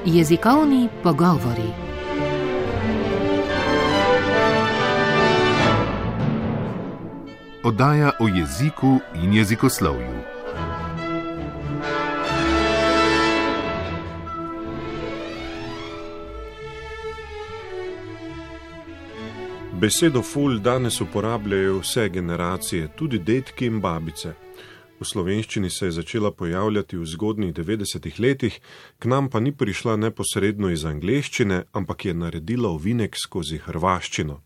Jezikovni pogovori. Oddaja o jeziku in jezikoslovju. Besedo ful danes uporabljajo vse generacije, tudi dedki in babice. V slovenščini se je začela pojavljati v zgodnjih 90-ih letih, k nam pa ni prišla neposredno iz angleščine, ampak je naredila ovinek skozi hrvaščino.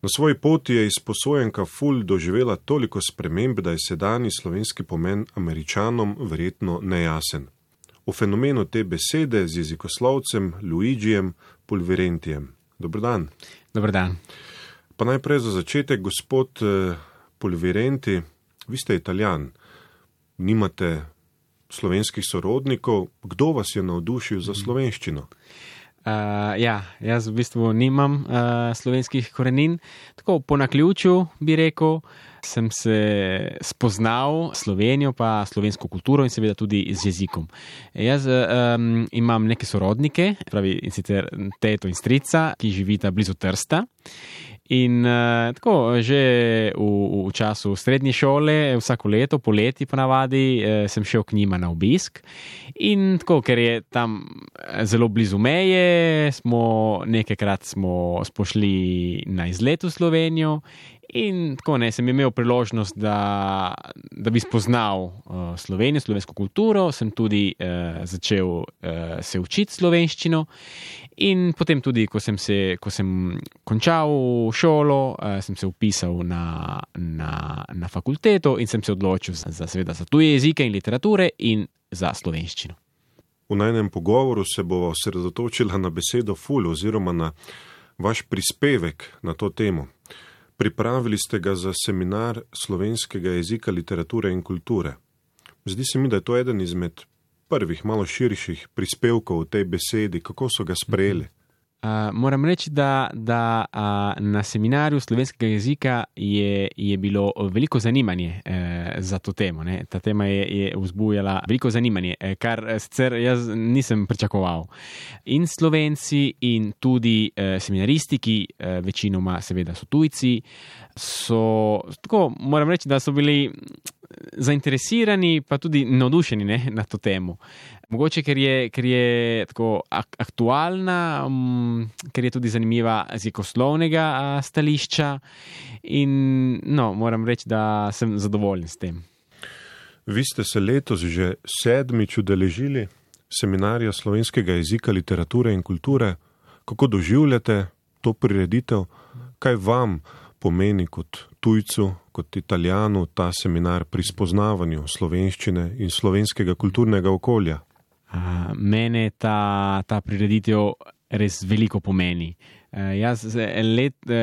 Na svoji poti je izposojenka ful doživela toliko sprememb, da je sedanji slovenski pomen Američanom verjetno nejasen. O fenomenu te besede z jezikoslovcem Luigijem Pulvirentijem. Dober dan. Dober dan. Pa najprej za začetek, gospod Pulvirenti, vi ste Italijan, nimate slovenskih sorodnikov. Kdo vas je navdušil za slovenščino? Jaz v bistvu nimam slovenskih korenin. Tako po naključju bi rekel, sem se spoznal Slovenijo pa slovensko kulturo in seveda tudi z jezikom. Jaz imam neke sorodnike, pravi in sicer teto in strica, ki živita blizu Trsta. In tako, že v času srednje šole, vsako leto, poleti ponavadi, sem šel k njima na obisk. In tako, ker je tam zelo blizu meje, nekajkrat smo pošli na izlet v Slovenijo. In tako, sem imel priložnost, da bi spoznal Slovenijo, slovensko kulturo, sem tudi začel se učiti slovenščino. In potem tudi, ko sem končal šolo, sem se vpisal na fakulteto in sem se odločil za tuje jezike in literature in za slovenščino. V najnem pogovoru se bo osredotočila na besedo ful oziroma na vaš prispevek na to temo. Pripravili ste ga za seminar slovenskega jezika, literature in kulture. Zdi se mi, da je to eden izmed prvih, malo širših prispevkov v tej besedi. Kako so ga sprejeli? Moram reči, da na seminarju slovenskega jezika je bilo veliko zanimanje za to temo. Ne? Ta tema je vzbujala veliko zanimanje, kar sicer jaz nisem pričakoval. In Slovenci in tudi seminaristi, ki večinoma seveda so tujci, moram reči, da so bili zainteresirani pa tudi navdušeni na to temo. Mogoče, ker je tako aktualna, ker je tudi zanimiva z jezikoslovnega stališča in moram reči, da sem zadovoljen s tem. Vi ste se letos že 7. udeležili seminarja slovenskega jezika, literature in kulture. Kako doživljate to prireditev? Kaj vam pomeni kot tujcu, kot Italijanu ta seminar pri spoznavanju slovenščine in slovenskega kulturnega okolja? Mene ta prireditev res veliko pomeni.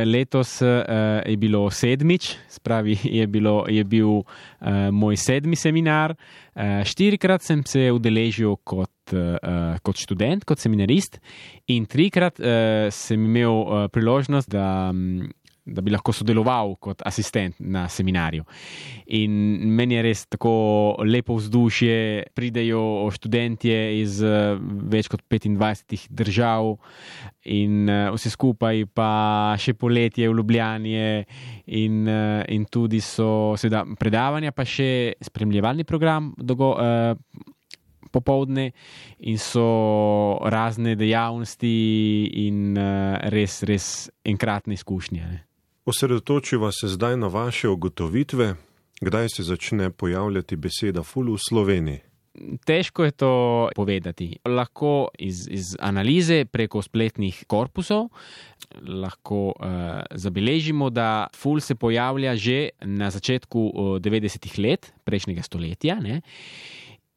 Letos je bilo 7, spravi je bil moj 7. seminar. 4-krat sem se udeležil kot študent, kot seminarist in 3-krat sem imel priložnost, da bi lahko sodeloval kot asistent na seminarju. In meni je res tako lepo vzdušje, pridejo študentje iz več kot 25 držav in vse skupaj pa še poletje v Ljubljani in tudi so seveda predavanja, pa še spremljevalni program popoldne in so razne dejavnosti in res enkratne izkušnje. Osredotočiva se zdaj na vaše ugotovitve, kdaj se začne pojavljati beseda ful v Sloveniji. Težko je to povedati. Lahko iz analize preko spletnih korpusov lahko zabeležimo, da ful se pojavlja že na začetku 90-ih let prejšnjega stoletja, ne?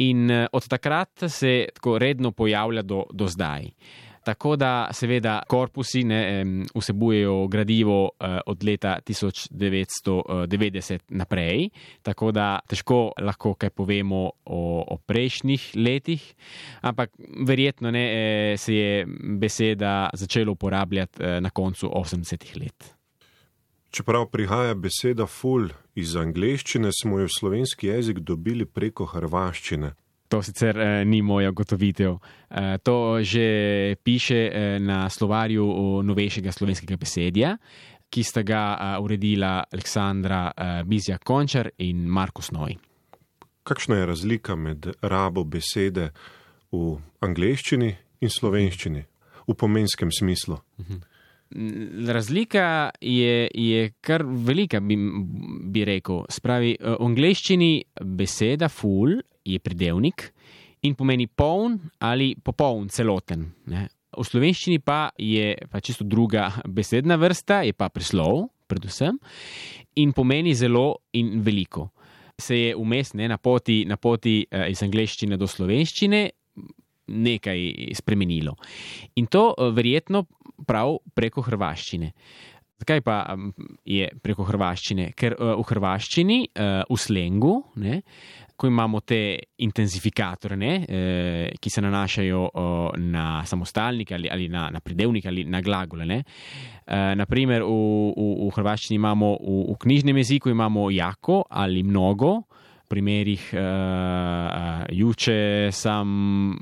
In od takrat se tako redno pojavlja do zdaj. Tako da seveda korpusi vsebujejo gradivo od leta 1990 naprej, tako da težko lahko kaj povemo o prejšnjih letih, ampak verjetno se je beseda začela uporabljati na koncu 80-ih let. Čeprav prihaja beseda ful iz angleščine, smo jo v slovenski jezik dobili preko hrvaščine. To sicer ni moja ugotovitev. To že piše na slovarju novejšega slovenskega besedja, ki sta ga uredila Aleksandra Bizjak-Končar in Marko Snoj. Kakšna je razlika med rabo besede v angleščini in slovenščini, v pomenskem smislu? Razlika je kar velika, bi rekel. Spravi, v angleščini beseda full je pridevnik in pomeni poln ali popoln, celoten. Ne? V slovenščini pa je pa čisto druga besedna vrsta, je pa prislov, predvsem, in pomeni zelo in veliko. Se je vmes na poti iz angleščine do slovenščine nekaj spremenilo. In to verjetno prav preko hrvaščine. Zakaj pa je preko hrvaščine? Ker v hrvaščini, v slengu, ne, ko imamo te intenzifikatore, ki se nanašajo na samostalnik ali na pridevnik ali na glagole. Ne. Naprimer, v hrvaščini imamo, v knjižnem jeziku imamo jako ali mnogo, v primerih juče sam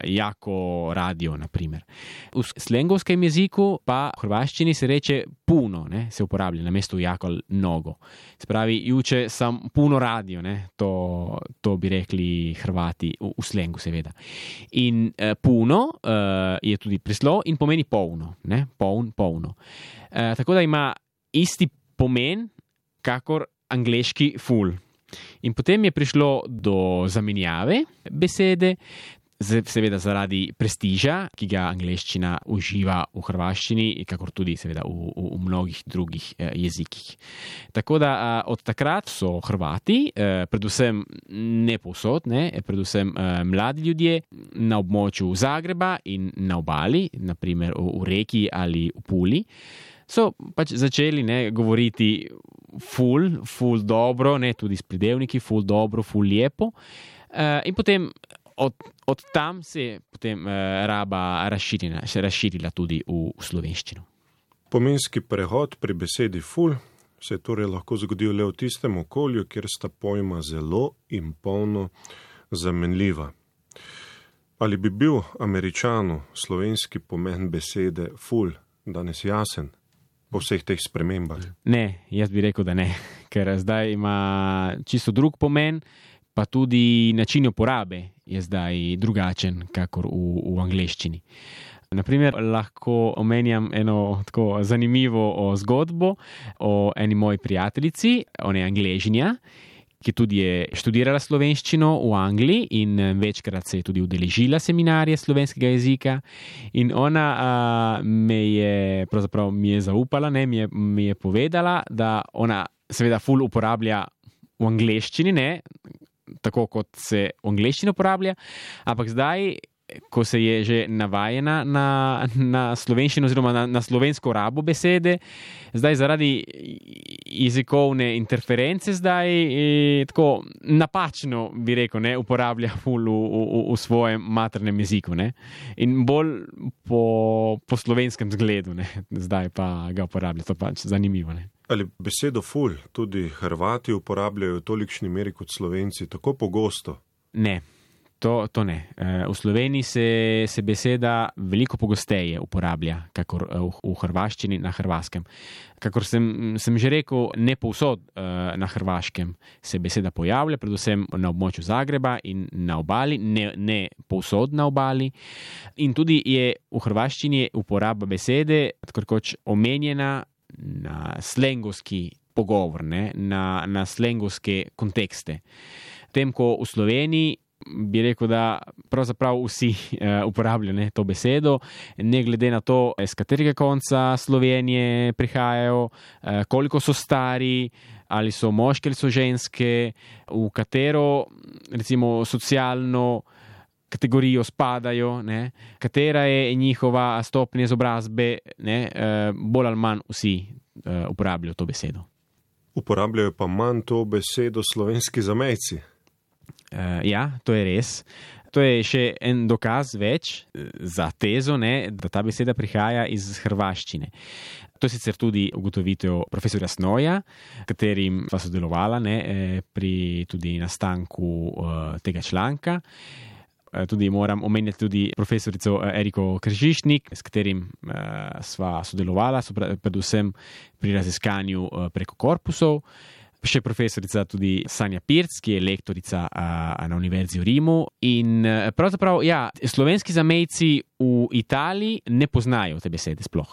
jako radio, naprimer. V slengovskem jeziku pa v hrvaščini se reče puno, ne, se uporablja namesto jako ali mnogo. Se pravi, juče sam puno radio, ne, to bi rekli Hrvati v slengu seveda. In puno je tudi prislov in pomeni polno, ne, polno. Tako da ima isti pomen kakor angleški full. In potem je prišlo do zamenjave besede, seveda zaradi prestiža, ki ga angleščina uživa v hrvaščini, kakor tudi seveda v mnogih drugih jezikih. Tako da od takrat so Hrvati, predvsem ne povsod, predvsem mladi ljudje na območju Zagreba in na obali, naprimer v Reki ali v Puli, so pač začeli govoriti ful dobro, tudi s pridevniki, ful dobro, ful lepo. In potem od tam se je potem raba razširila tudi v slovenščino. Pomenski prehod pri besedi ful se je torej lahko zgodil le v tistem okolju, kjer sta pojma zelo in polno zamenljiva. Ali bi bil Američanu slovenski pomen besede ful danes jasen? Po vseh teh spremembah? Ne, jaz bi rekel, da ne, ker zdaj ima čisto drug pomen, pa tudi način uporabe je zdaj drugačen, kakor v angleščini. Naprimer, lahko omenjam eno tako zanimivo zgodbo o eni moji prijateljici, ona je Angležinja, ki tudi je študirala slovenščino v Angliji in večkrat se je tudi udeležila seminarje slovenskega jezika. In ona mi je zaupala, mi je povedala, da ona seveda ful uporablja v angleščini, tako kot se v angleščini uporablja, ampak zdaj, ko se je že navajena na slovenščino oziroma na slovensko rabo besede, zdaj zaradi jezikovne interference tako napačno, bi rekel, uporablja ful v svojem maternem jeziku. In bolj po slovenskem zgledu, zdaj pa ga uporablja. To pač zanimivo. Ali besedo ful tudi Hrvati uporabljajo v tolikšni meri kot Slovenci, tako pogosto? Ne. To ne. V Sloveniji se beseda veliko pogosteje uporablja, kakor v hrvaščini na hrvaškem. Kakor sem že rekel, ne povsod na hrvaškem se beseda pojavlja, predvsem na območju Zagreba in na obali, ne povsod na obali. In tudi je v hrvaščini uporaba besede tako rekoč omenjena na slengovski pogovor, na slengovske kontekste. Tem, ko v Sloveniji bi rekel, da pravzaprav vsi uporabljajo to besedo, ne glede na to, z katerega konca Slovenije prihajajo, koliko so stari, ali so moški ali so ženske, v katero recimo socialno kategorijo spadajo, katera je njihova stopnja izobrazbe, bolj ali manj vsi uporabljajo to besedo. Uporabljajo pa manj to besedo slovenski zamejci. Ja, to je res. To je še en dokaz več za tezo, ne, da ta beseda prihaja iz hrvaščine. To je sicer tudi ugotovitev profesorja Snoja, katerim sva sodelovala pri tudi nastanku tega članka. Tudi moram omenjati tudi profesorico Eriko Kržišnik, s katerim sva sodelovala, predvsem pri raziskanju preko korpusov. Še profesorica tudi Sanja Pirc, ki je lektorica na Univerzi v Rimu. In pravzaprav, slovenski zamejci v Italiji ne poznajo te besede sploh.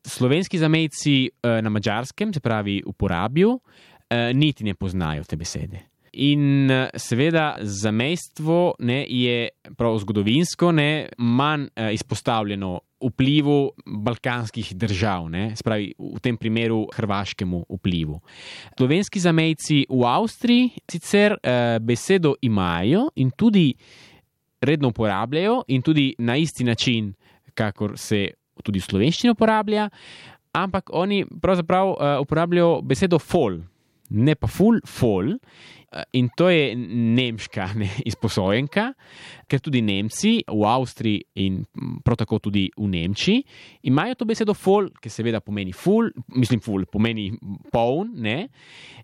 Slovenski zamejci na Madžarskem, se pravi v Porabju, niti ne poznajo te besede. In seveda zamejstvo je prav zgodovinsko manj izpostavljeno vplivu balkanskih držav, se pravi v tem primeru hrvaškemu vplivu. Slovenski zamejci v Avstriji sicer besedo imajo in tudi redno uporabljajo in tudi na isti način, kakor se tudi v slovenščini uporablja, ampak oni pravzaprav uporabljajo besedo fol, ne pa fol. In to je nemška izposojenka, ker tudi Nemci v Avstriji in prav tako tudi v Nemčiji imajo to besedo fol, ki seveda pomeni ful, pomeni poln,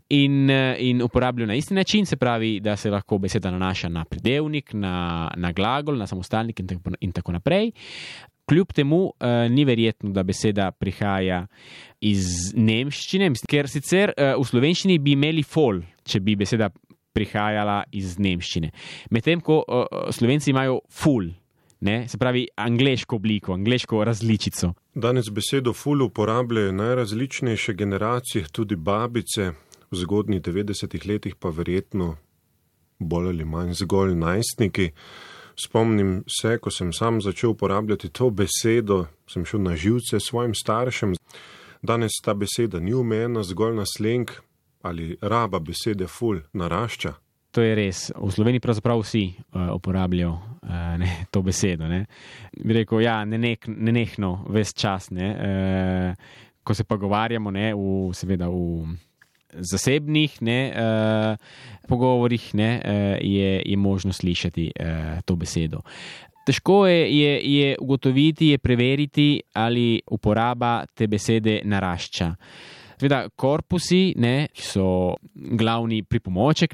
in uporabljajo na isti način, se pravi, da se lahko beseda nanaša na pridevnik, na glagol, na samostalnik in tako naprej. Kljub temu ni verjetno, da beseda prihaja iz nemščine, ker sicer v slovenščini bi imeli fol, če bi beseda prihajala iz nemščine. Medtem ko Slovenci imajo ful, se pravi angleško obliko, angleško različico. Danes besedo ful uporabljajo najrazličnejše generacije, tudi babice, v zgodnjih 90-ih letih pa verjetno bolj ali manj zgolj najstniki. Spomnim se, ko sem sam začel uporabljati to besedo, sem šel na živce svojim staršem. Danes ta beseda ni omejena zgolj na sleng ali raba besede ful narašča. To je res. V Sloveniji pravzaprav vsi uporabljajo to besedo. Bi rekel, nenehno, ves čas. Ko se pogovarjamo, seveda v zasebnih pogovorih je možno slišati to besedo. Težko je ugotoviti, je preveriti, ali uporaba te besede narašča. Seveda, korpusi, ki so glavni pripomoček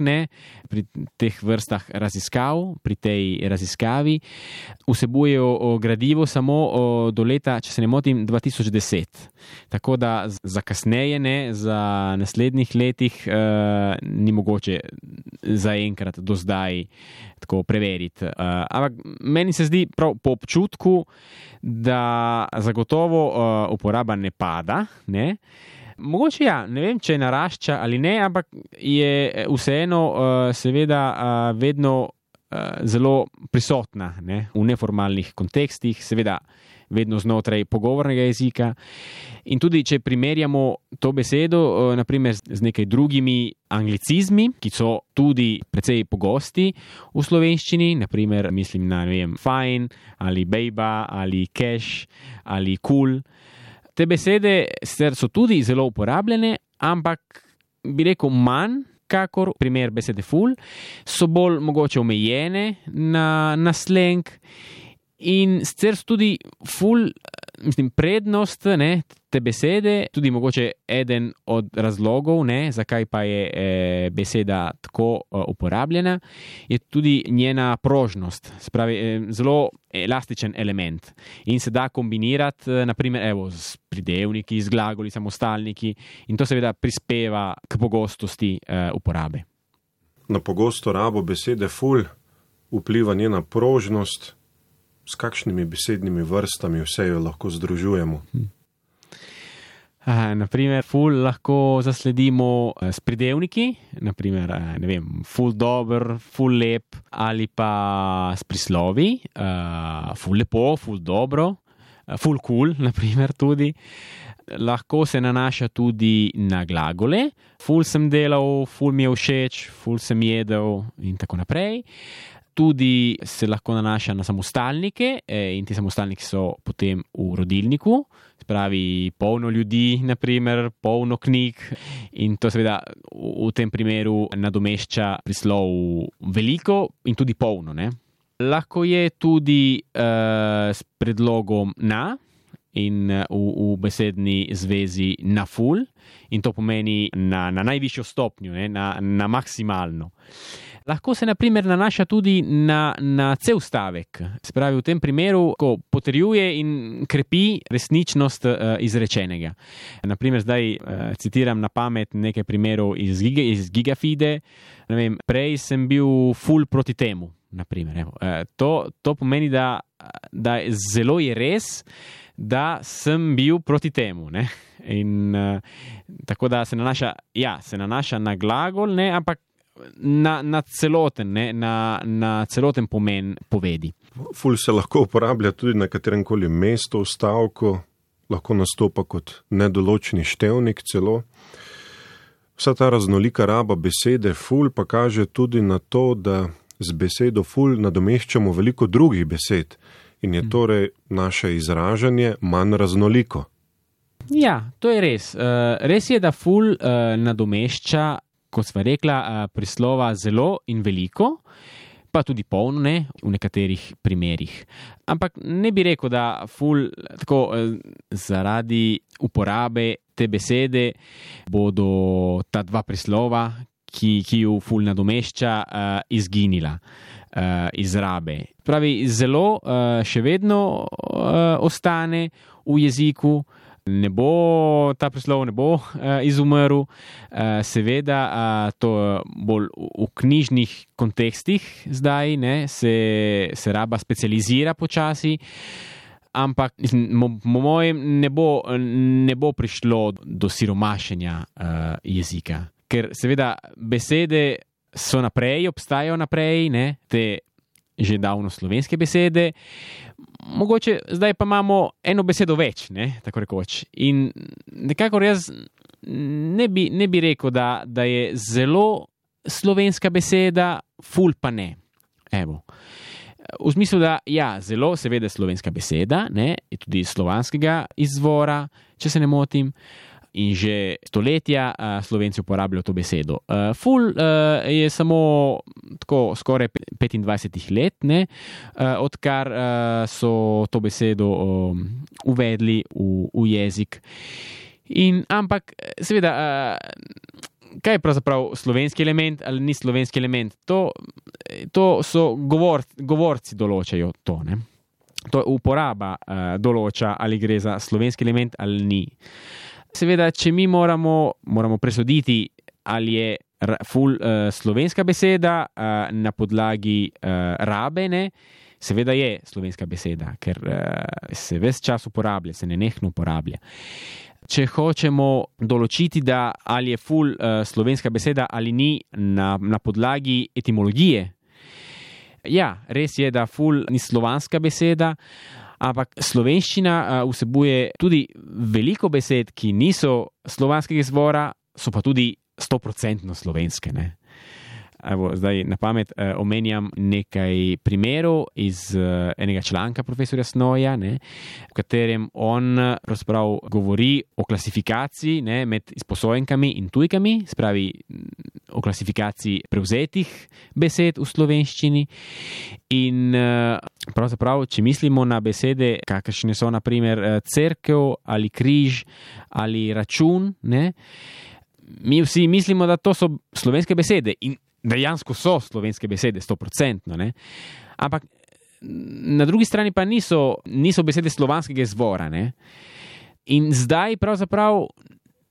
pri teh vrstah raziskav, pri tej raziskavi, vsebujejo gradivo samo do leta, če se ne motim, 2010. Tako da za kasneje, za naslednjih letih ni mogoče zaenkrat do zdaj tako preveriti. Ampak meni se zdi prav po občutku, da zagotovo uporaba ne pada, Mogoče ne vem, če narašča ali ne, ampak je vseeno seveda vedno zelo prisotna v neformalnih kontekstih, seveda vedno znotraj pogovornega jezika. In tudi, če primerjamo to besedo, naprimer z nekaj drugimi anglicizmi, ki so tudi precej pogosti v slovenščini, naprimer mislim na, fajn ali bejba ali cash ali cool. Te besede so tudi zelo uporabljene, ampak bi rekel manj, kakor primer besede ful, so bolj mogoče omejene na sleng in sicer so tudi ful, prednost te besede, tudi mogoče eden od razlogov, zakaj pa je beseda tako uporabljena, je tudi njena prožnost, spravi zelo elastičen element in se da kombinirati, naprimer, s pridevniki, z glagoli, samostalniki in to seveda prispeva k pogostosti uporabe. Na pogosto rabo besede ful vpliva njena prožnost. S kakšnimi besednimi vrstami vse jo lahko združujemo? Naprimer, ful lahko zasledimo s pridevniki, naprimer, ful dober, ful lep, ali pa s prislovi, ful lepo, ful dobro, ful cool, naprimer tudi. Lahko se nanaša tudi na glagole, ful sem delal, ful mi je všeč, ful sem jedel in tako naprej. Tudi se lahko nanaša na samostalnike in ti samostalniki so potem v rodilniku, spravi polno ljudi, naprimer, polno knjig in to seveda v tem primeru nadomešča prislov veliko in tudi polno. Lahko je tudi s predlogom na in v besedni zvezi na ful, in to pomeni na najvišjo stopnjo, ne, na maksimalno. Lahko se na primer nanaša tudi na cel stavek. Se pravi, v tem primeru, ko potrjuje in krepi resničnost izrečenega. Na primer, zdaj citiram na pamet nekaj primerov iz Gigafide. Ne vem, prej sem bil ful proti temu. Na primer, evo. To pomeni, da zelo je res, da sem bil proti temu. Ne? In tako da se nanaša na glagol, ne, ampak na celoten, ne, na celoten pomen povedi. Ful se lahko uporablja tudi na katerem koli mestu v stavku, lahko nastopa kot nedoločni števnik celo. Vsa ta raznolika raba besede ful pa kaže tudi na to, da z besedo ful nadomeščamo veliko drugih besed in je torej naše izražanje manj raznoliko. Ja, to je res. Res je, da ful nadomešča, kot sva rekla, prislova zelo in veliko, pa tudi polno, ne, v nekaterih primerih. Ampak ne bi rekel, da ful tako zaradi uporabe te besede bodo ta dva prislova, ki ju ful nadomešča, izginila iz rabe. Pravi, zelo še vedno ostane v jeziku, ta prislov ne bo izumrl, seveda to bolj v knjižnih kontekstih zdaj, ne, se raba specializira počasi, ampak po mojem ne bo prišlo do siromašenja jezika, ker seveda besede so naprej, obstajajo naprej, ne, te že davno slovenske besede, mogoče zdaj pa imamo eno besedo več, ne, tako rekoč. In nekako jaz ne bi rekel, da je zelo slovenska beseda, ful pa ne. Evo. V smislu, da ja, zelo seveda slovenska beseda, ne, je tudi slovanskega izvora, če se ne motim, in že stoletja Slovenci uporabljajo to besedo. Ful je samo tako skoraj 25 let, ne, odkar so to besedo uvedli v jezik. Ampak seveda, kaj je pravzaprav slovenski element ali ni slovenski element? To so govorci določajo to, ne. To uporaba določa, ali gre za slovenski element ali ni. Seveda, če mi moramo presoditi, ali je ful slovenska beseda na podlagi rabe, ne, seveda je slovenska beseda, ker se ves čas uporablja, se nenehno uporablja. Če hočemo določiti, da ali je ful slovenska beseda ali ni na podlagi etimologije, ja, res je, da ful ni slovanska beseda, ampak slovenščina vsebuje tudi veliko besed, ki niso slovanskega izvora, so pa tudi 100% slovenske, ne. Evo, zdaj na pamet omenjam nekaj primerov iz enega članka profesorja Snoja, ne, v katerem on pravzaprav govori o klasifikaciji, ne, med izposojenkami in tujkami, spravi o klasifikaciji prevzetih besed v slovenščini. In pravzaprav, če mislimo na besede, kakršne so na primer cerkev ali križ ali račun, ne, mi vsi mislimo, da to so slovenske besede in dejansko so slovenske besede, 100%, ne? Ampak na drugi strani pa niso besede slovanskega izvora, ne? In zdaj pravzaprav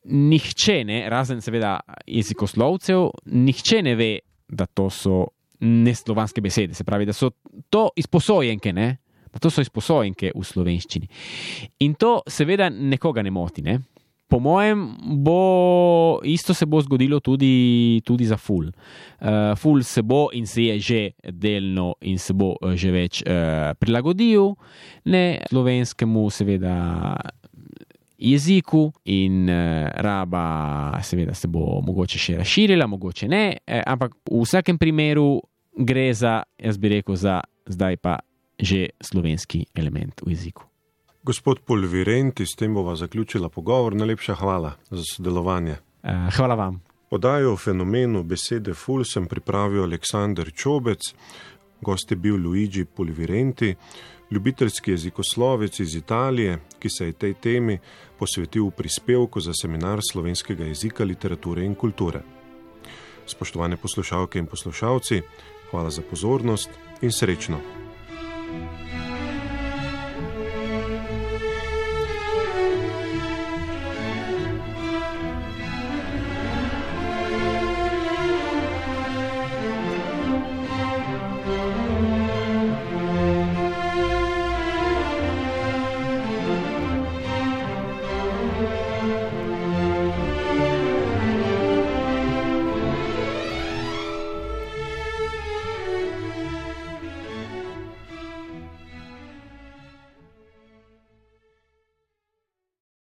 nihče, ne, razen seveda jezikoslovcev, nihče ne ve, da to so neslovanske besede, se pravi, da so to izposojenke, ne? Da to so izposojenke v slovenščini. In to seveda nekoga ne moti, ne? Po mojem isto se bo zgodilo tudi za ful. Ful se bo in se je že delno in se bo že več prilagodil, ne, slovenskemu seveda jeziku in raba seveda se bo mogoče še razširila, mogoče ne, ampak v vsakem primeru gre za, jaz bi rekel, za zdaj pa že slovenski element v jeziku. Gospod Polvirenti, s tem bova zaključila pogovor. Najlepša hvala za sodelovanje. Hvala vam. Oddajo o fenomenu besede ful sem pripravil Aleksander Čobec. Gost je bil Luigi Polvirenti, ljubiteljski jezikoslovec iz Italije, ki se je tej temi posvetil v prispevku za seminar slovenskega jezika, literature in kulture. Spoštovane poslušalke in poslušalci, hvala za pozornost in srečno!